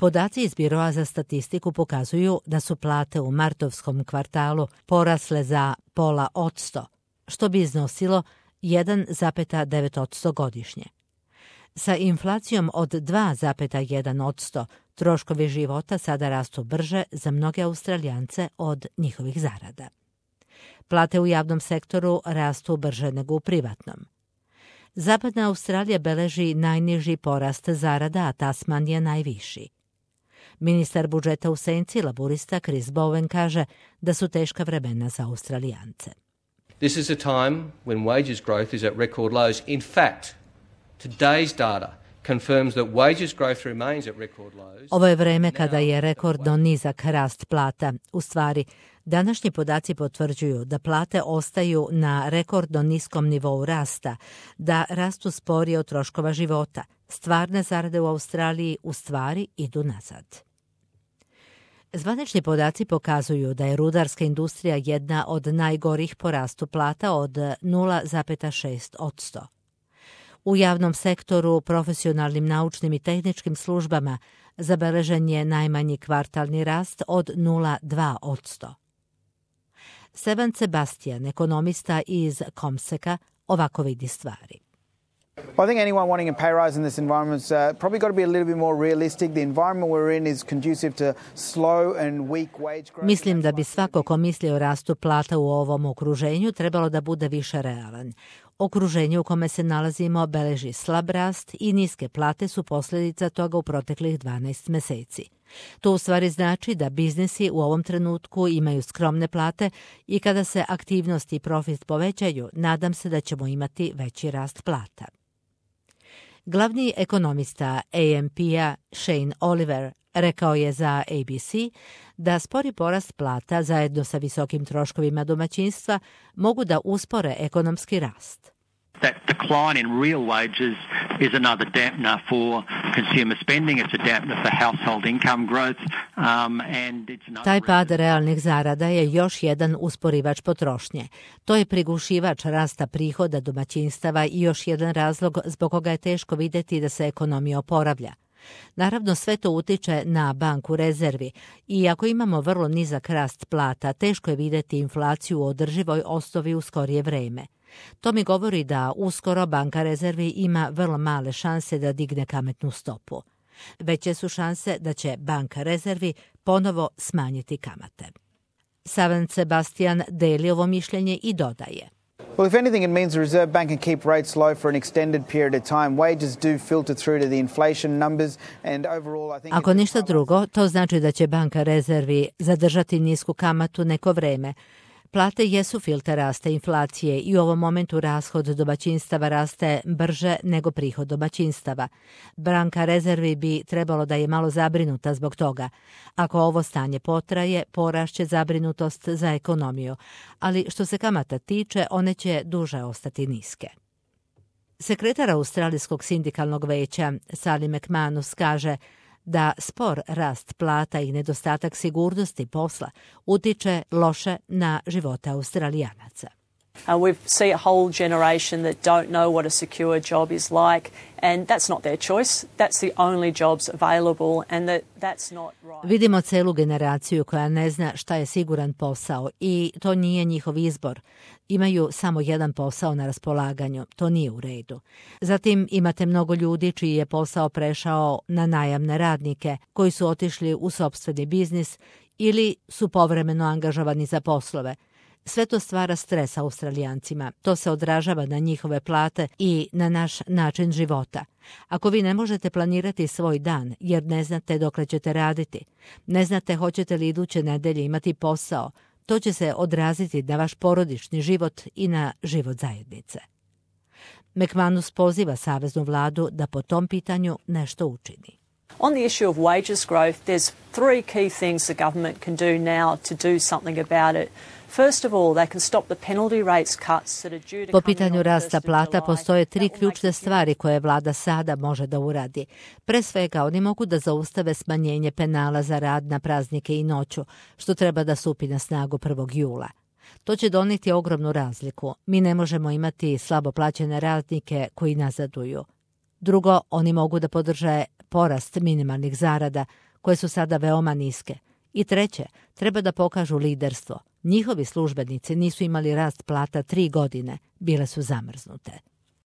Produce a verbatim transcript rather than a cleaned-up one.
Podaci iz Biroa za statistiku pokazuju da su plate u martovskom kvartalu porasle za pola odsto, što bi iznosilo jedan zarez devet posto godišnje. Sa inflacijom od dva zarez jedan posto troškovi života sada rastu brže za mnoge Australijance od njihovih zarada. Plate u javnom sektoru rastu brže nego u privatnom. Zapadna Australija beleži najniži porast zarada, a Tasmanija najviši. Ministar budžeta u senci laburista Chris Bowen kaže da su teška vremena za Australijance. This is a time when wages growth is at record lows. In fact, today's data confirms that wages growth remains at record lows. Ovo je vreme kada je rekordno nizak rast plata. U stvari, današnji podaci potvrđuju da plate ostaju na rekordno niskom nivou rasta, da rastu sporije od troškova života. Stvarne zarade u Australiji u stvari idu nazad. Zvanični podaci pokazuju da je rudarska industrija jedna od najgorih po rastu plata od nula zarez šest posto. U javnom sektoru, profesionalnim naučnim i tehničkim službama zabeležen je najmanji kvartalni rast od nula zarez dva posto. Sevan Sebastian, ekonomista iz Comseka, ovako vidi stvari. Well, I think anyone wanting a pay rise in this environment has uh, probably got to be a little bit more realistic. The environment we're in is conducive to slow and weak wage growth. Mislim da bi svako ko misli o rastu plata u ovom okruženju trebalo da bude više realan. Okruženje u kome se nalazimo beleži slab rast i niske plate su posljedica toga u proteklih dvanaest meseci. To u stvari znači da biznisi u ovom trenutku imaju skromne plate i kada se aktivnost i profit povećaju, nadam se da ćemo imati veći rast plata. Glavni ekonomista A M P-a Shane Oliver rekao je za A B C da spori porast plata zajedno sa visokim troškovima domaćinstva mogu da uspore ekonomski rast. That decline in real wages is another dampener for consumer spending. It's a dampener for household income growth. Um, and it's another Taj pad realnih zarada je još jedan usporivač potrošnje. To je prigušivač rasta prihoda domaćinstava i još jedan razlog zbog koga je teško vidjeti da se ekonomija oporavlja. Naravno, sve to utiče na banku rezervi i ako imamo vrlo nizak rast plata, teško je vidjeti inflaciju u održivoj osnovi u skorije vreme. To mi govori da uskoro banka rezervi ima vrlo male šanse da digne kamatnu stopu. Veće su šanse da će banka rezervi ponovo smanjiti kamate. Savan Sebastian deli ovo mišljenje i dodaje. Well, if anything, it means the Reserve Bank can keep rates low for an extended period of time. Wages do filter through to the inflation numbers and overall I think... Ako ništa drugo, to znači da će banka rezervi zadržati nisku kamatu neko vreme. Plate jesu filter rasta inflacije i u ovom momentu rashod domaćinstava raste brže nego prihod domaćinstava. Banka rezervi bi trebalo da je malo zabrinuta zbog toga. Ako ovo stanje potraje, porašće zabrinutost za ekonomiju, ali što se kamata tiče, one će duže ostati niske. Sekretar Australijskog sindikalnog veća Sally McManus kaže da spor rast plata i nedostatak sigurnosti posla utiče loše na živote Australijanaca. Uh, we see a whole generation that don't know what a secure job is like, and that's not their choice. That's the only jobs available, and that, that's not right. Vidimo celu generaciju koja ne zna šta je siguran posao i to nije njihov izbor. Imaju samo jedan posao na raspolaganju, to nije u redu. Zatim imate mnogo ljudi čiji je posao prešao na najamne radnike koji su otišli u sopstveni biznis ili su povremeno angažovani za poslove. Sve to stvara stres Australijancima. To se odražava na njihove plate i na naš način života. Ako vi ne možete planirati svoj dan jer ne znate dokle ćete raditi, ne znate hoćete li iduće nedelje imati posao, to će se odraziti na vaš porodični život i na život zajednice. McManus poziva saveznu vladu da po tom pitanju nešto učini. On the issue of wages growth, there's three key things the government can do now to do something about it. First of all, they can stop the penalty rates cuts that are due to Po pitanju rasta plata postoje tri ključne stvari koje vlada sada može da uradi. Pre svega, oni mogu da zaustave smanjenje penala za rad na praznike i noću, što treba da stupi na snagu prvog jula. To će doneti ogromnu razliku. Mi ne možemo imati slabo plaćene radnike koji nazaduju. Drugo, oni mogu da podrže porast minimalnih zarada, koje su sada veoma niske. I treće, treba da pokažu liderstvo. Njihovi službenici nisu imali rast plata tri godine, bile su zamrznute.